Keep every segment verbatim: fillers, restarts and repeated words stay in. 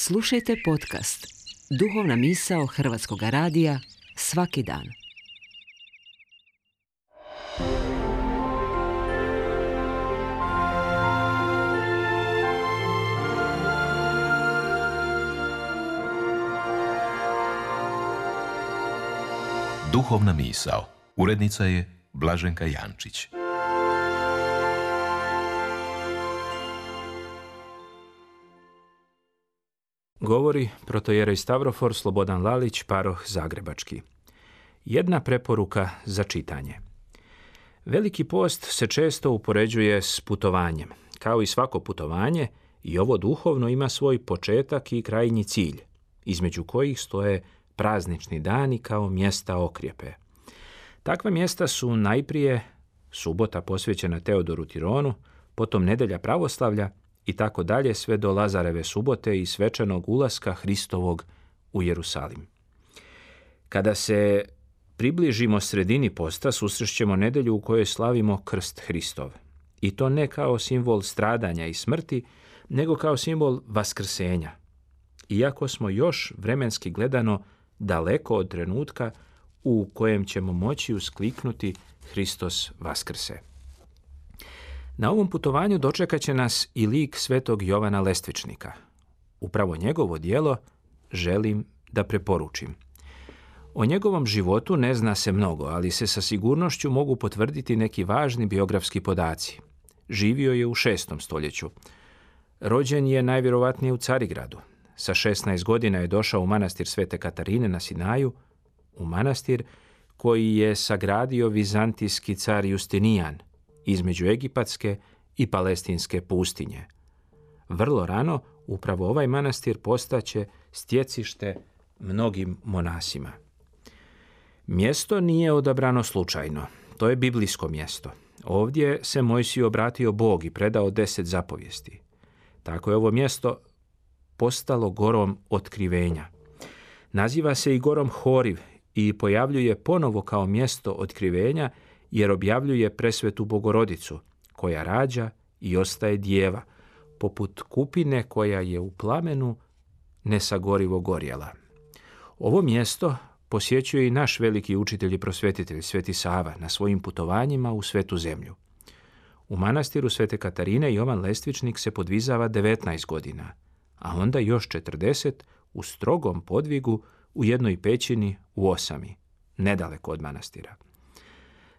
Slušajte podcast Duhovna misao Hrvatskog radija svaki dan. Duhovna misao. Urednica je Blaženka Jančić. Govori protojerej Stavrofor Slobodan Lalić, paroh Zagrebački. Jedna preporuka za čitanje. Veliki post se često upoređuje s putovanjem. Kao i svako putovanje, i ovo duhovno ima svoj početak i krajnji cilj, između kojih stoje praznični dani kao mjesta okrjepe. Takva mjesta su najprije subota posvećena Teodoru Tironu, potom nedelja pravoslavlja i tako dalje sve do Lazareve subote i svečanog ulaska Hristovog u Jerusalim. Kada se približimo sredini posta, susrećemo nedelju u kojoj slavimo krst Hristov. I to ne kao simbol stradanja i smrti, nego kao simbol vaskrsenja. Iako smo još vremenski gledano daleko od trenutka u kojem ćemo moći uskliknuti Hristos vaskrse. Na ovom putovanju dočekat će nas i lik svetog Jovana Lestvičnika. Upravo njegovo djelo želim da preporučim. O njegovom životu ne zna se mnogo, ali se sa sigurnošću mogu potvrditi neki važni biografski podaci. Živio je u šestom stoljeću. Rođen je najvjerovatnije u Carigradu. Sa šesnaest godina je došao u manastir Svete Katarine na Sinaju, u manastir koji je sagradio vizantijski car Justinijan između egipatske i palestinske pustinje. Vrlo rano upravo ovaj manastir postaće stjecište mnogim monasima. Mjesto nije odabrano slučajno. To je biblijsko mjesto. Ovdje se Mojsiju obratio Bog i predao deset zapovijesti. Tako je ovo mjesto postalo gorom otkrivenja. Naziva se i gorom Horiv i pojavljuje ponovo kao mjesto otkrivenja jer objavljuje presvetu Bogorodicu, koja rađa i ostaje djeva, poput kupine koja je u plamenu nesagorivo gorjela. Ovo mjesto posjećuje i naš veliki učitelj i prosvetitelj Sveti Sava na svojim putovanjima u Svetu zemlju. U manastiru Svete Katarine Jovan Lestvičnik se podvizava devetnaest godina, a onda još četrdeset u strogom podvigu u jednoj pećini u Osami, nedaleko od manastira.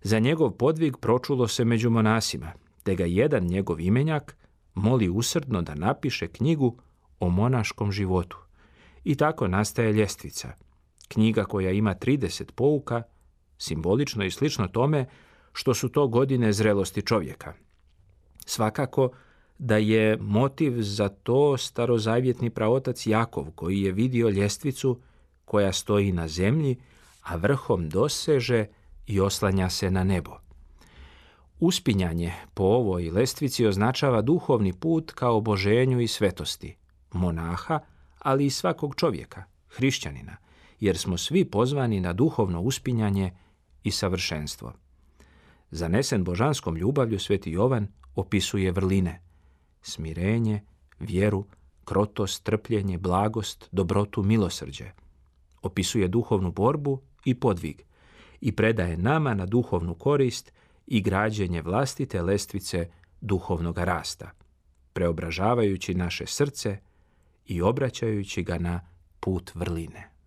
Za njegov podvig pročulo se među monasima, te ga jedan njegov imenjak moli usrdno da napiše knjigu o monaškom životu. I tako nastaje Ljestvica, knjiga koja ima trideset pouka, simbolično i slično tome što su to godine zrelosti čovjeka. Svakako da je motiv za to starozavjetni praotac Jakov, koji je vidio ljestvicu koja stoji na zemlji, a vrhom doseže i oslanja se na nebo. Uspinjanje po ovoj lestvici označava duhovni put ka oboženju i svetosti, monaha, ali i svakog čovjeka, hrišćanina, jer smo svi pozvani na duhovno uspinjanje i savršenstvo. Zanesen božanskom ljubavlju Sveti Jovan opisuje vrline, smirenje, vjeru, krotost, trpljenje, blagost, dobrotu, milosrđe. Opisuje duhovnu borbu i podvig i predaje nama na duhovnu korist i građenje vlastite lestvice duhovnog rasta, preobražavajući naše srce i obraćajući ga na put vrline.